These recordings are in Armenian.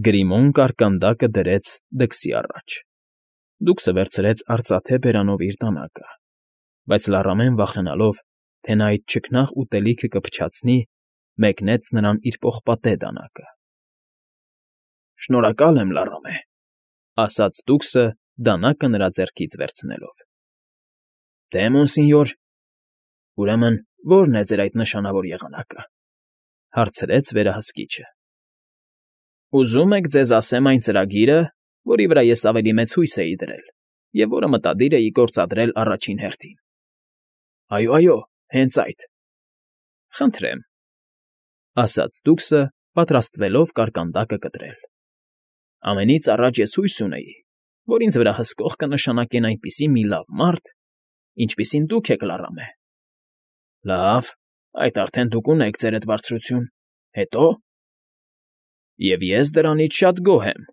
Գրիմոն կարկանդակը դրեց դքսի առաջ։ Դուքսը վերցրեց արծաթե բերանով իր դանակը, բայց լառամեն վախենալով, թե նա այդ չքնաղ ուտելիքը կփչացնի, մեկնեց նրան իր պողպատե դանակը։ ֊ Շնորհակալ եմ, լառամե,֊ ասաց դուքսը դանակը նրա ձեռքից վերցնելով։ ֊ Դե, մոնսինյոր, ուրեմն ո՞րն է ձեր այդ նշանավոր եղանակը,֊ հարցրեց վերահսկիչը։ ֊ Ուզում եք ձեզ ասեմ այն ծրագիրը, որի վրա ես ավելի մեծ հույս էի դրել և որը մտադիր էի գործադրել առաջին հերթին։ ֊ Այո, հենց այդ։ ֊ Խնդրեմ,֊ ասաց դուքսը, պատրաստվելով կարկանդակը կտրել։ Ամենից առաջ ես հույս ունեի, որ ինձ վրա հսկող կնշանակեն այնպիսի մի լավ մարդ, ինչպիսին դուք եք, լառամե։ ֊ Լավ, այդ արդեն դուք ունեք, ձերդ բարձրություն, հետո՞։ ֊ Եվ ես դրանից շատ գոհ եմ,֊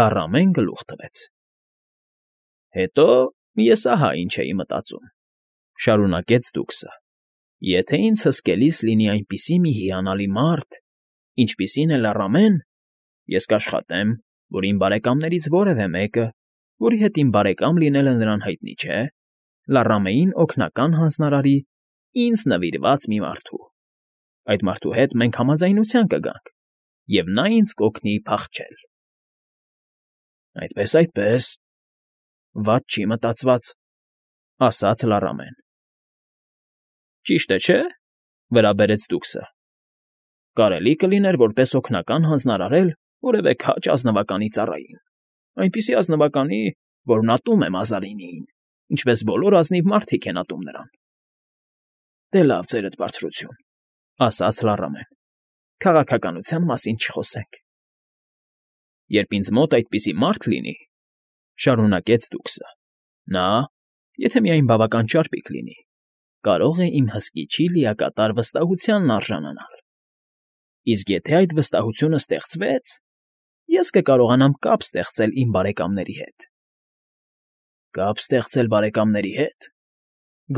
լառամեն գլուխ տվեց։ ֊ Հետո ես ահա ինչ էի մտածում,֊ շարունակեց դուքսը. եթե ինձ հսկելիս լինի այնպիսի մի հիանալի մարդ, ինչպիսին է լառամեն, ես կաշխատեմ, որ իմ բարեկամներից որևէ մեկը, որի հետ իմ բարեկամ լինելը նրան հայտնի չէ, լառամեին օգնական հանձնարարի ինձ նվիրված մի մարդու։ Այդ մարդու հետ մենք համաձայնության կգանք, և նա ինձ կօգնի փախչել։ ֊ Այդպես, վատ չի մտածված,֊ ասաց լառամեն։ ֊ Ճիշտ է, չէ՞, վրա բերեց դուքսը։ Կարելի կլիներ որպես օգնական հանձնարարել որևէ քաջ ազնվականի ծառային, այնպիսի ազնվականի, որն ատում է Մազարինիին, ինչպես բոլոր ազնիվ մարդիկ են ատում նրան։ ֊ Դե լավ, ձերդ բարձրություն,֊ ասաց լառամեն, քաղաքականության մասին չխոսենք։ ֊ Երբ ինձ մոտ այդպիսի մարդ լինի,֊ շարունակեց դուքսը,֊ նա, եթե միայն բավական ճարպիկ լինի, կարող է իմ հսկիչի լիակատար վստահությանն արժանանալ։ Իսկ եթե այդ վստահությունը ստեղծվեց, ես կկարողանամ կապ ստեղծել իմ բարեկամների հետ։ ֊ Կապ ստեղծել բարեկամների հետ,֊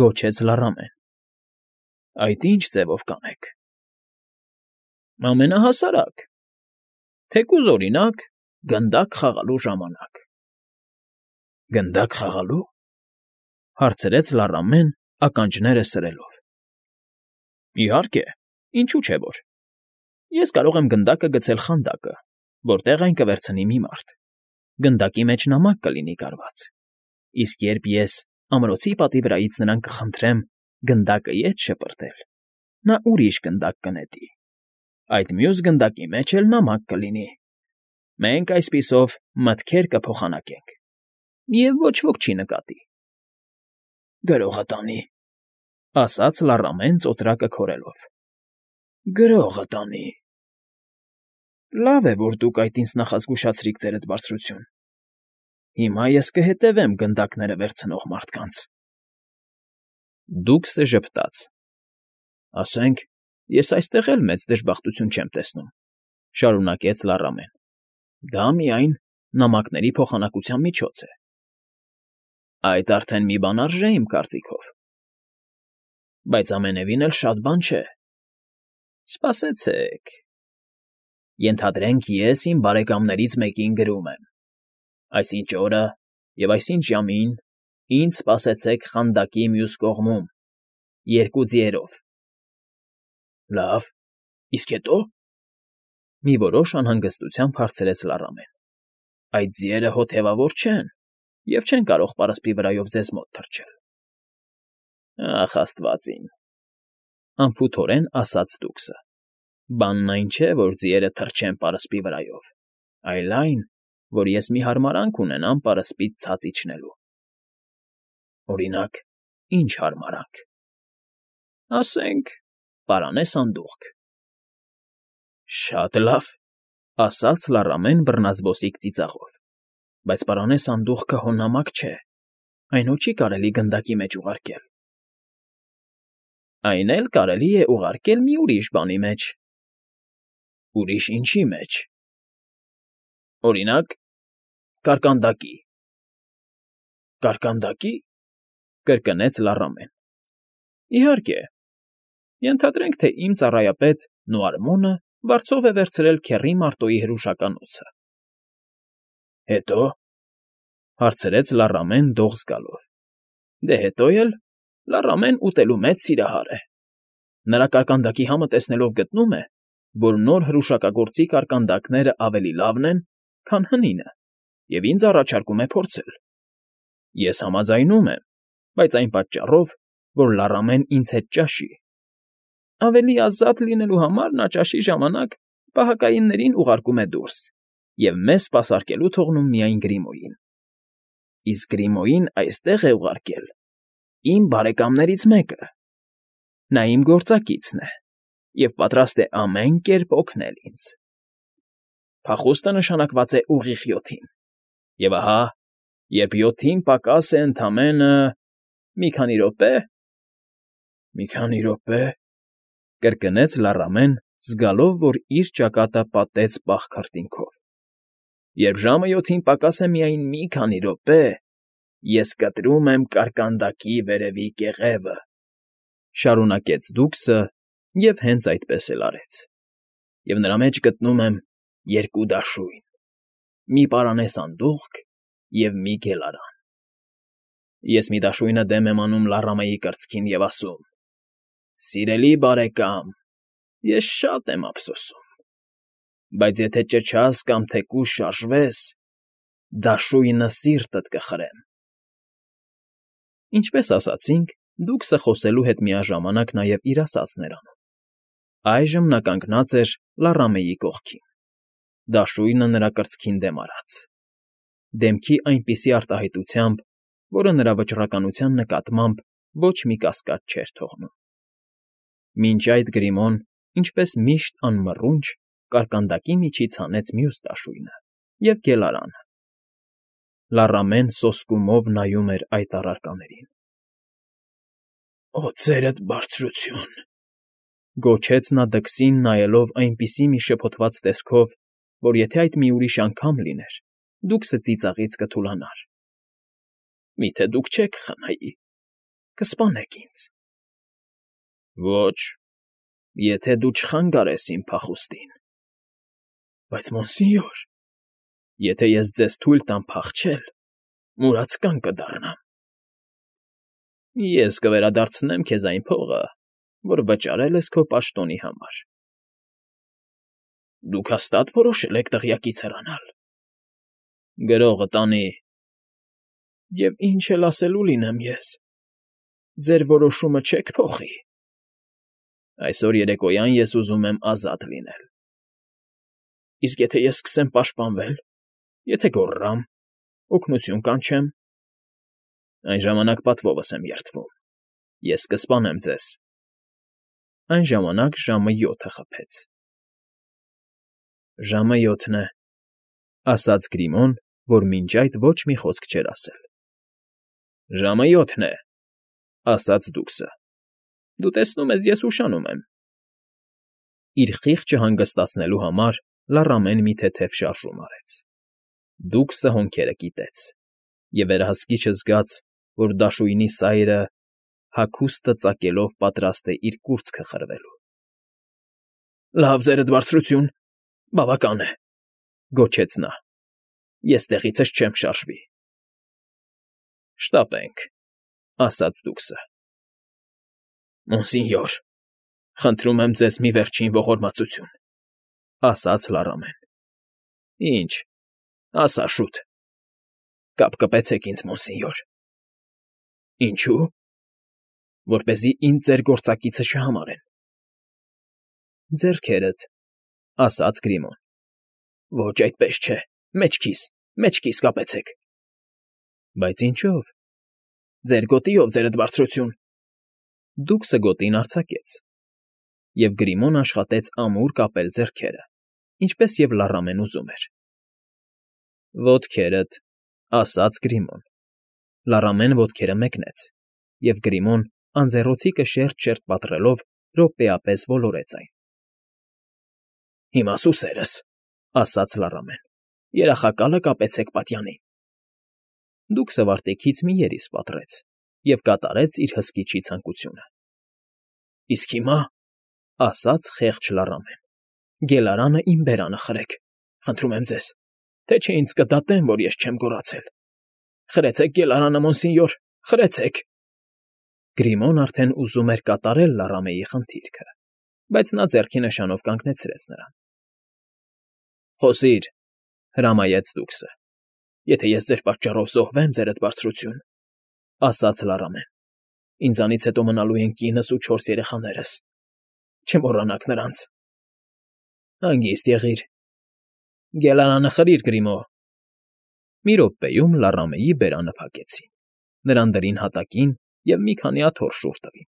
գոչեց լառամեն։ ֊ Այդ ի՞նչ ձևով կանեք։ ֊ Ամենահասարակ, թեկուզ, օրինակ, գնդակ խաղալու ժամանակ։ ֊ Գնդակ խաղալո՞ւ,֊ հարցրեց լառամեն, ականջները սրելով։ ֊ Իհարկե, ինչու չէ որ։ Ես կարող եմ գնդակը գցել խանդակը, որտեղ այն կվերցնի մի մարդ։ Գնդակի մեջ նամակ կլինի կարված, իսկ երբ ես ամրոցի պատի վրայից նրան կխնդրեմ գնդակը ետ շպրտել, նա ուրիշ գնդակ կնետի, այդ մյուս գնդակի մեջ էլ նամակ կլինի։ Մենք այսպիսով մտքեր կփոխանակենք, և ոչ ոք չի նկատի։ ֊ Գրողը տանի,֊ ասաց լառամեն ծոծրակը քորելով,֊ գրողը տանի։ ֊ Լավ է, որ դուք այդ ինձ նախազգուշացրիք, ձերդ բարձրություն։ Հիմա ես կհետևեմ գնդակները վերցնող մարդկանց։ Դուքսը ժպտաց։ ֊ Ասենք, ես այստեղ էլ մեծ դժբախտություն չեմ տեսնում,֊ շարունակեց լառամեն։ Դա միայն նամակների փոխանակության միջոց է։ ֊ Այդ արդեն մի բան արժե, իմ կարծիքով։ ֊ Բայց ամենևին էլ շատ բան չէ։ Սպասեցեք… Ենթադրենք, ես իմ բարեկամներից մեկին գրում եմ. այսինչ օրը և այսինչ ժամին ինձ սպասեցեք խանդակի մյուս կողմում, 2 ձիերով։ ֊ Լավ, իսկ հետո՞։ Մի որոշ անհանգստությամբ հարցրեց լառամեն։ ֊ Այդ ձիերը հոթևավոր չեն և չեն կարող պարսպի վրայով ձեզ մոտ թռչել։ ֊ Ախ, աստված իմ,֊ անփութորեն ասաց դուքսը,֊ բանն այն չէ, որ ձիերը թռչեն պարսպի վրայով, այլ այն, որ ես մի հարմարանք ունենամ պարսպից ցած իջնելու։ ֊ Օրինակ, ի՞նչ հարմարանք։ ֊ Ասենք, պարանե սանդուղք։ ֊ Շատ լավ,֊ ասաց լառամեն բռնազբոսիկ ծիծաղով,֊ բայց պարանե սանդուղքը հո նամակ չէ, այն հո չի կարելի գնդակի մեջ ուղարկել։ ֊ Այն էլ կարելի է ուղարկել մի ուրիշ բանի մեջ։ ֊ Ուրիշ ինչի մեջ։ ֊ Օրինակ, կարկանդակի։ ֊ Կարկանդակի,֊ կրկնեց լառամեն։ ֊ Իհարկե, ենթադրենք, թե իմ ծառայապետ Նոարմոնը վարձով է վերցրել քեռի Մարտոյի հրուշականոցը։ ֊ Հետո՞, հարցրեց Լառամեն դող զգալով։ Դե հետո էլ Լառամեն ուտելու մեծ սիրահար է։ Նրա կարկանդակի համը տեսնելով գտնում է, որ նոր հրուշակագործի կարկանդակները ավելի լավն են, քան հնինը, և ինձ առաջարկում է փորձել։ Ես համաձայնում եմ, բայց այն պատճառով, որ Լառամեն ինձ հետ ճաշի։ Ավելի ազատ լինելու համար նա ճաշի ժամանակ պահակայիններին ուղարկում է դուրս և մեզ սպասարկելու թողնում միայն Գրիմոյին։ Իսկ Գրիմոյին այստեղ է ուղարկել իմ բարեկամներից մեկը։ Նա իմ գործակիցն է և պատրաստ է ամեն կերպ օգնել ինձ։ Փախուստը նշանակված է ուղիղ 7-ին, և ահա, երբ 7-ին պակաս է ընդամենը… մի քանի րոպե… ֊ Մի քանի րոպե… կրկնեց Լառամեն, զգալով, որ իր ճակատը պատեց պաղ քրտինքով։ Երբ ժամը 7-ին պակաս է միայն մի քանի րոպե, ես կտրում եմ կարկանդակի վերևի կեղևը, ֊ շարունակեց դուքսը և հենց այդպես էլ արեց։ Եվ նրա մեջ գտնում եմ երկու դաշույն, մի պարանե սանդուղք և մի գելարան։ Ես մի դաշույնը դեմ եմ անում Լառամեի կրծքին և ասում. «Սիրելի բարեկամ, ես շատ եմ ափսոսում, բայց եթե ճչաս կամ թեկուզ շարժվես, դաշույնը սիրտդ կխրեմ»։ Ինչպես ասացինք, դուքսը խոսելու հետ միաժամանակ նաև իր ասածն էր անում։ Այժմ նա կանգնած էր Լառամեի կողքին, դաշույնը նրա կրծքին դեմ արած, դեմքի այնպիսի արտահայտությամբ, որը նրա վճռականության նկատմամբ ոչ մի կասկած չէր թողնում։ Մինչ այդ Գրիմոն, ինչպես միշտ անմռունչ, կարկանդակի միջից հանեց մյուս դաշույնը և գելարանը։ Լառամեն սոսկումով նայում էր այդ առարկաներին։ ֊ Օձերդ բարձրություն…֊ գոչեց նա դքսին նայելով այնպիսի մի շփոթված տեսքով, որ եթե այդ մի ուրիշ անգամ լիներ, դուքսը ծիծաղից կթուլանար։ ֊ Միթե դուք չեք խնայի… Կսպանեք ինձ… ֊ Ոչ, եթե դու չխանգարես իմ փախուստին։ ֊ Բայց, մոնսինյոր, եթե ես ձեզ թույլ տամ փախչել, մուրացկան կդառնամ։ ֊ Ես կվերադարձնեմ քեզ այն փողը, որ վճարել ես քո պաշտոնի համար։ ֊ Դուք հաստա՞տ որոշել եք տեղյակից հեռանալ։ ֊ Գրողը տանի։ ֊ Եվ ինչ էլ ասելու լինեմ ես… Ձեր որոշումը չե՞ք փոխի։ ֊ Այսօր երեկոյան ես ուզում եմ ազատ լինել։ ֊ Իսկ եթե ես սկսեմ պաշտպանվել, եթե գոռամ, օգնություն կանչեմ… ֊ Այն ժամանակ պատվովս եմ երդվում, ես կսպանեմ ձեզ… Այն ժամանակ ժամը 7-ը խփեց։ ֊ Ժամը 7-ն է…֊ ասաց Գրիմոն, որ մինչ այդ ոչ մի խոսք չէր ասել։ ֊ Ժամը 7-ն է…֊ ասաց դուքսը։ ֊ Դու տեսնում ես, ես ուշանում եմ։ Իր խիղճը հանգստացնելու համար Լառամեն մի թեթև շարժում արեց։ Դուքսը հոնքերը կիտեց և վերահսկիչը զգաց, որ դաշույնի սայրը հագուստը ծակելով պատրաստ է իր կուրծքը խրվելու։ ֊ Լավ, ձերդ բարձրություն, բավական է…֊ գոչեց նա։ ֊ Ես տեղիցս չեմ շարժվի։ ֊ Շտապենք…֊ ասաց դուքսը։ ֊ Մոնսինյոր, խնդրում եմ ձեզ մի վերջին ողորմածություն…֊ ասաց Լառամեն։ ֊ Ինչ, ասա շուտ… ֊ Կապկպեցեք ինձ, մոնսինյոր։ ֊ Ինչո՞ւ։ ֊ Որպեսզի ինձ ձեր գործակիցը չհամարեն։ ֊ Ձեռքերդ…֊ ասաց Գրիմոն։ ֊ Ոչ, այդպես չէ… Մեջքիս կապեցեք… ֊ Բայց ինչո՞վ։ ֊ Ձեր գոտիով, ձերդ բարձրություն… Դուքսը գոտին արձակեց, և Գրիմոն աշխատեց ամուր կապել ձեռքերը, ինչպես և Լառամեն ուզում էր։ ֊ Ոտքերդ…֊ ասաց Գրիմոն։ Լառամեն ոտքերը մեկնեց, և Գրիմոն, անձեռոցիկը շերտ֊շերտ պատռելով, րոպեապես ոլորեց այն։ ֊ Հիմա սուսերս…֊ ասաց Լառամեն։ Երախակալը կապեցեք պատյանին։ Դուքսը վարտիքից մի երիս պատռեց և կատարեց իր հսկիչի ցանկությունը։ ֊ Իսկ հիմա…֊ ասաց խեղճ Լառամեն։ Գելարանը իմ բերանը խրեք, խնդրում եմ ձեզ, թե չէ ինձ կդատեն, որ ես չեմ գոռացել։ Խրեցեք Գելարանը, մոնսինյոր, խրեցեք։ Գրիմոն արդեն ուզում էր կատարել Լարամեի խնդիրքը, բայց նա ձեռքի նշանով կանգնեցրեց նրան։ Խոսիր, հրամայեց Դուքսը։ Եթե ես ձեր պատճառով զոհվեմ, ձերդ բարձրություն, ասաց Լարամեն, ինձանից հետո մնալու են կինս ու 4 երեխաներս, չմոռանաք նրանց։ Հանգիստ եղիր։ Գելարանը խրիր, Գրիմո։ Մի րոպեում Լարամեի բերանը փակեցին, նրան դրին հատակին և մի քանի աթոռ շուռ տվին։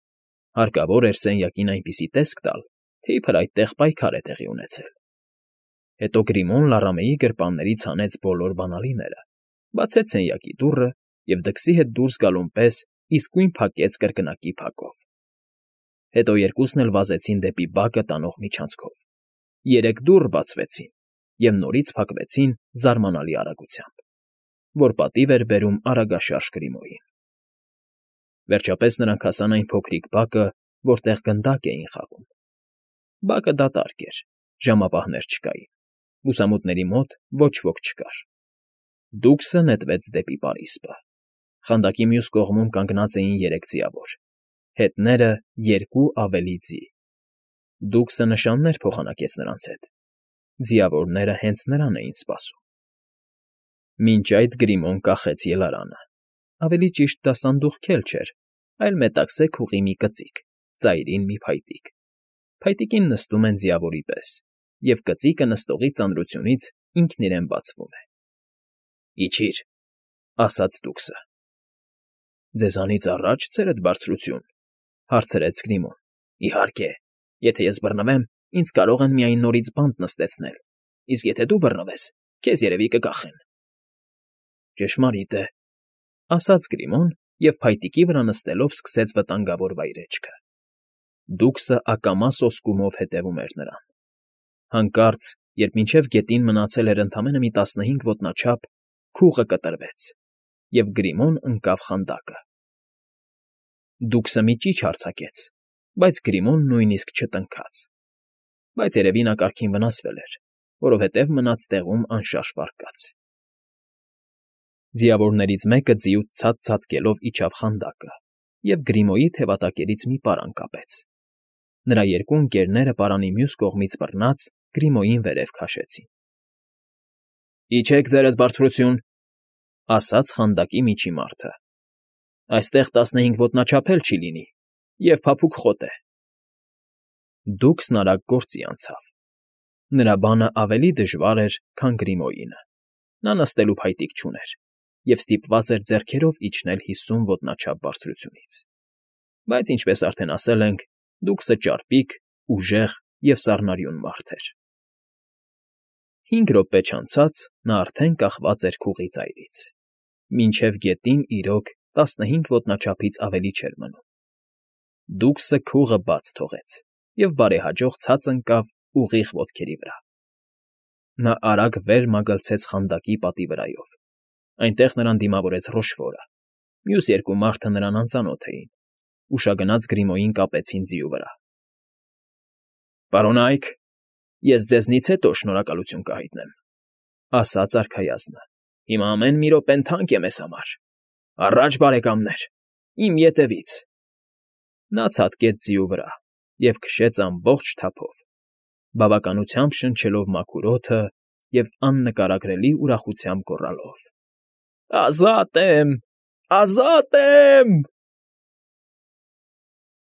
Հարկավոր էր սենյակին այնպիսի տեսք տալ, թե իբր այդտեղ պայքար է տեղի ունեցել։ Հետո Գրիմոն Լարամեի գրպաններից հանեց բոլոր բանալիները, բացեց սենյակի դուռը և դքսի հետ դուրս գալուն պես իսկույն փակեց կրկնակի փակով։ Հետո երկուսն էլ վազեցին դեպի բակը տանող միջանցքով։ 3 դուռ բացվեցին և նորից փակվեցին զարմանալի արագությամբ, որ պատիվ էր բերում արագաշարժ Գրիմոյին։ Վերջապես նրանք հասան այն փոքրիկ բակը, որտեղ գնդակ էին խաղում։ Բակը դատարկ էր, ժամապահներ չկային, լուսամուտների մոտ ոչ ոք չկար։ Դուքսը նետվեց դեպի պարիսպը։ Խանդակի մյուս կողմում կանգնած էին 3 ձիավոր, հետները 2 ավելի ձի։ Դուքսը նշաններ փոխանակեց նրանց հետ։ Ձիավորները հենց նրան էին սպասում։ Մինչ այդ Գրիմոն կախեց ելարանը։ Ավելի ճիշտ դա սանդուղքել չէր, այլ մետաքսե քուղի մի կծիկ, ծայրին մի փայտիկ։ Փայտիկին նստում են ձիավորի պես, և կծիկը նստողի ծանրությունից ինքն իրեն բացվում է։ Իջիր, ասաց Դուքսը։ Ձեզանից առաջ, ձերդ բարձրություն, հարցրեց Գրիմոն։ Իհարկե, եթե ես բռնվեմ, ինձ կարող են միայն նորից բանտ նստեցնել, իսկ եթե դու բռնվես, քեզ երևի կկախեն։ Ճշմարիտ է, ասաց Գրիմոն և փայտիկի վրա նստելով սկսեց վտանգավոր վայրէջքը։ Դուքսը ակամա սոսկումով հետևում էր նրան։ Հանկարծ, երբ մինչև գետին մնացել էր ընդամենը մի 15 ոտնաչափ, քուղը կտրվեց, և Գրիմոն ընկավ խանդակը։ Դուքսը մի ճիչ արձակեց, բայց Գրիմոն նույնիսկ չտնքաց։ Բայց երևի նա կարգին վնասվել էր, որովհետև մնաց տեղում անշարժ պառկած։ Ձիավորներից մեկը ձիուց ցած ցատկելով իջավ խանդակը և Գրիմոյի թևատակերից մի պարան կապեց։ Նրա 2 ընկերները պարանի մյուս կողմից բռնած Գրիմոյին վերև քաշեցին։ Իջեք, ձերդ բարձրություն, ասաց խանդակի միջի մարդը։ Այստեղ 15 ոտնաչափ էլ չի լինի, և փափուկ խոտ է։ Դուքսն արագ գործի անցավ։ Նրա բանը ավելի դժվար էր, քան Գրիմոյինը։ Նա նստելու փայտիկ չուներ և ստիպված էր ձեռքերով իջնել 50 ոտնաչափ բարձրությունից։ Բայց, ինչպես արդեն ասել ենք, Դուքսը ճարպիկ, ուժեղ և սառնարյուն մարդ էր։ 5 րոպե չանցած նա արդեն կախված էր քուղի ծայրից։ Մինչև գետին, իրոք, 15 ոտնաչափից ավելի չէր մնում։ Դուքսը քուղը բաց թողեց և բարեհաջող ցած ընկավ ուղիղ ոտքերի վրա։ Նա արագ վեր մագլցեց խանդակի պատի վրայով։ Այնտեղ նրան դիմավորեց Ռոշֆորը։ Մյուս 2 մարդը նրան անծանոթ էին։ Ուշագնաց Գրիմոյին կապեցին ձիու վրա։ Պարոնայք, ես ձեզնից հետո շնորհակալություն կհայտնեմ, ասաց արքայազնը։ Հիմա ամեն մի րոպեն թանկ է մեզ համար։ Առաջ, բարեկամներ, իմ ետևից։ Նա ցատկեց ձիու վրա և քշեց ամբողջ թափով, բավականությամբ շնչելով մաքուր օդը և աննկարագրելի ուրախությամբ գոռալով. Ազատ եմ, ազատ եմ։